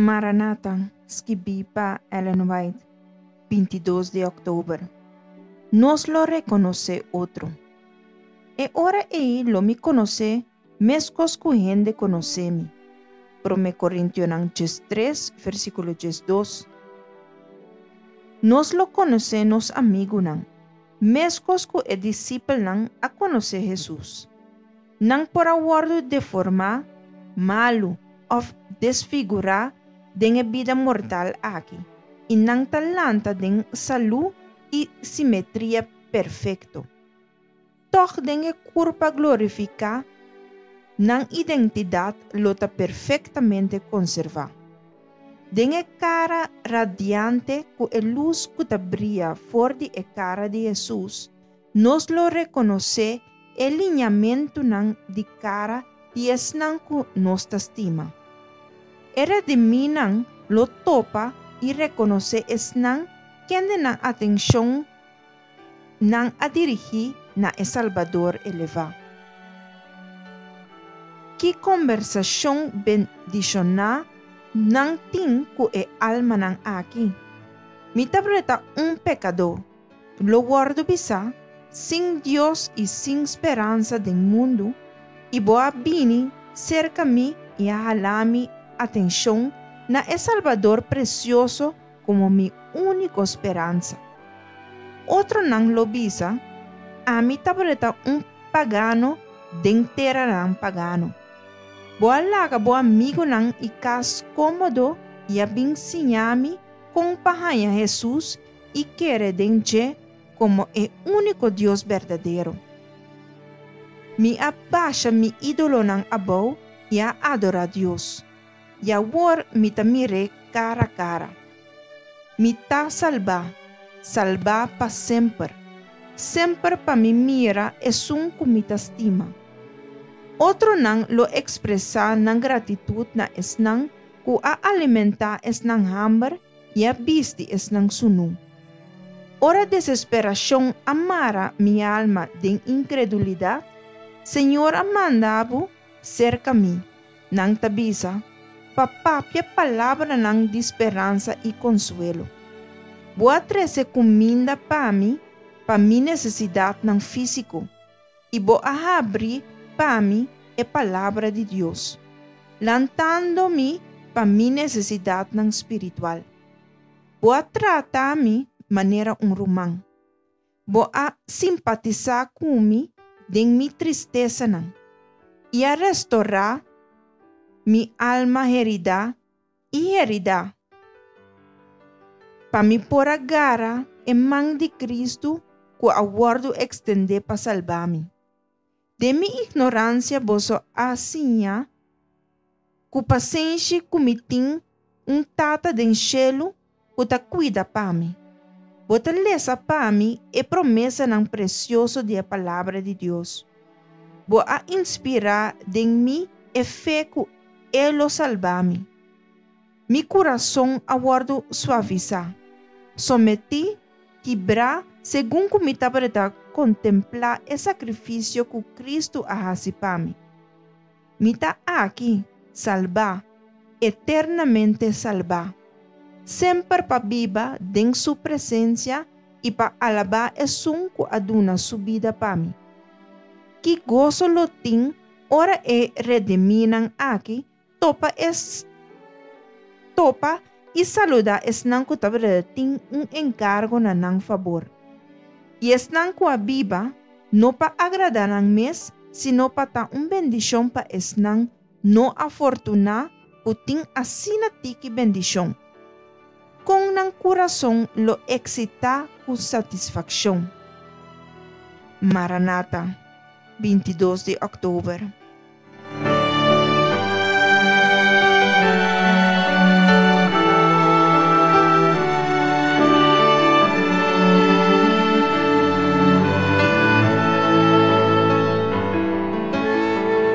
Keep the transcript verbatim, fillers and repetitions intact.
Maranata, skibí pa Ellen White, bintidos di òktober. Nos lo rekonosé otro. E ora ei lo mi konos'é meskos ku hende konosé mi. Promé Korintionan diestres, versíkulo diesdos. Nos lo konosé nos amigunan, meskos ku e disipelnan a konosé Hesus. Nan por a wòrdu deformá, malu òf desfigurá den e bida mortal aki, i nan ta lanta den salú i simetria perfekto. Tòg den e kurpa glorifiká, nan identidat lo ta perfektamente konservá. Den e kara radiante ku e lus ku ta bria for di e kara di Hesus, nos lo rekonosé e liñamentunan di kara di esnan ku nos ta stima. E redimínan lo topa i rekonosé esnan kende nan atenshon nan a dirigí na e Salbador elevá. Ki kombersashon bendishoná nan tin ku e almanan aki! Mi tabata un pekadó, lo wòrdu bisá, sin Dios i sin speransa den mundu, i bo a bini serka mi i a hala mi atenshon na e Salbador presioso komo mi úniko speransa. Otronan lo bisa, Ami tabata un pagano den teranan pagano. Bo a laga bo amigunan i kas kómodo i a bin siña mi kon pa haña Hesus i kere den dje komo e úniko Dios berdadero. Mi a basha mi ídolonan abou i a adorá Dios, i awor mi ta mir'é kara kara. Mi ta salbá, salbá pa semper, semper pa mi mira esun ku mi ta stima. Otronan lo ekspresá nan gratitut na esnan ku a alimentá esnan hamber i a bisti esnan sunú. Ora desesperashon a mara mi alma den inkredulidat, Señor a manda bo serka mi, nan ta bisa, pa papia palabranan di speransa i konsuelo. Bo a trese kuminda pa mi pa mi nesesidatnan físiko, i bo a habri pa mi e Palabra di Dios, lantando mi pa mi nesesidatnan spiritual. Bo a trata mi manera un ruman. Bo a simpatisá ku mi den mi tristesanan i a restorá mi alma heridá i heridá, pa mi por a gara e man di Kristu ku a wòrdu ekstendé pa salba mi. Den mi ignoransia boso a siña ku pasenshi ku mi tin un Tata den shelu ku ta kuida pa mi. Bo ta lesa pa mi e promesanan presioso di e Palabra di Dios. Bo a inspirá den mi e fe ku E lo salba mi. Mi kurason a wòrdu suavisá, sometí, kibrá segun ku mi tabata kontemplá e sakrifisio ku Kristu a hasi pa mi. Mi ta aki, salbá, eternamente salbá, semper pa biba den Su presensia i pa alabá Esun ku a duna Su bida pa mi. Ki goso lo tin ora e redimínan aki topa es topa i saludá esnan ku tabata tin un enkargo na nan fabor, i esnan ku a biba, no pa agradá nan mes, sino pa ta un bendishon pa esnan no afortuná ku tin asina tiki bendishon. Kon nan kurason lo eksitá ku satisfakshon! Maranata, bintidos di òktober.